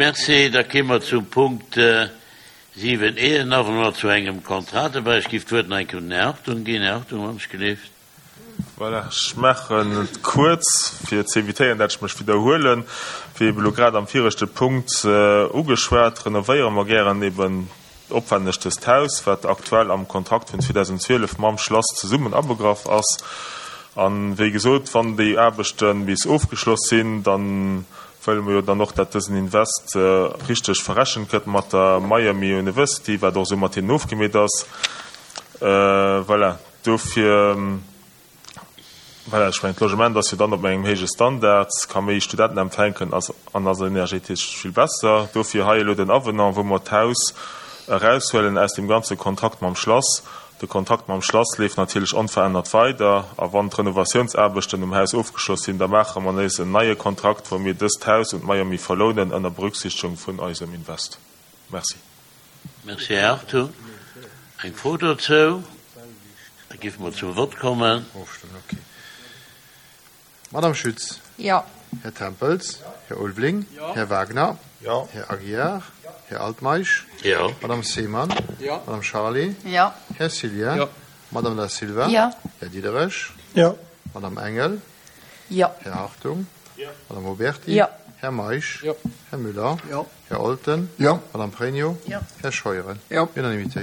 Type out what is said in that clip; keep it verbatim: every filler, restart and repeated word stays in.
Merci. Da kéime mer zum Punkt siwen E, en Avenant zu engem Contrat dobäi. Ech géif d'Wuert nach eng Kéier un den Här Hartung ginn. Här Hartung, wann ech gelift. Voilà, ech maachen et kuerz, fir ze évitéieren, dat ech mech widderhuelen. Wéi ebe lo grad am viregte Punkt ugeschwat, renovéiere mer gären eben opwänneg dëst Haus, wat aktuell am Kontrakt vun zweedausendzwielef mam Schlass zesummen abegraff ass. An, wéi gesot, wann déi Aarbechte bis ofgeschloss sinn, da wëlle mer jo dann och, dat dësen Invest richteg verrechent gëtt mat der Miami University, wat och esou mat hinnen ofgemeet ass. Voilà, dofir, voilà, ech mengen, d'Logement ass jo dann op engem héije Standard, ka méi Studenten empfänken ass an ass energetesch vill besser. Dofir hei elo den Avenant, wou mer d'Haus eraushuelen aus dem ganze Kontrakt mam Schlass. De Kontrakt mam Schlass leeft natierlech onverännert weider, a wann d'Renovatiounsaarbechten um Haus ofgeschloss sinn, da maache mer nees en neie Kontrakt, wou mir dëst Haus un d'Miami verlounen, ënner Berücksichtigung vun eisem Invest. Merci. Merci, Här Hartung. Eng Fro dozou? Da géife mer zum Vott kommen. Madame Schütz. Jo. Här Tempels. Här Ulveling. Här Wagner. Jo. Här Aguiar. Här Altmeisch. Jo. Madame Seemann. Jo. Madame Charlé. Jo. Här Cillien. Jo. Madame Da Silva. Jo. Här Diderich. Jo. Madame Engel. Jo. Här Hartung. Jo. Madame Oberti. Jo. Här Meisch. Jo. Här Müller. Jo. Här Olten. Jo. Madame Pregno. Jo. Här Scheuren. Jo. Unanimité.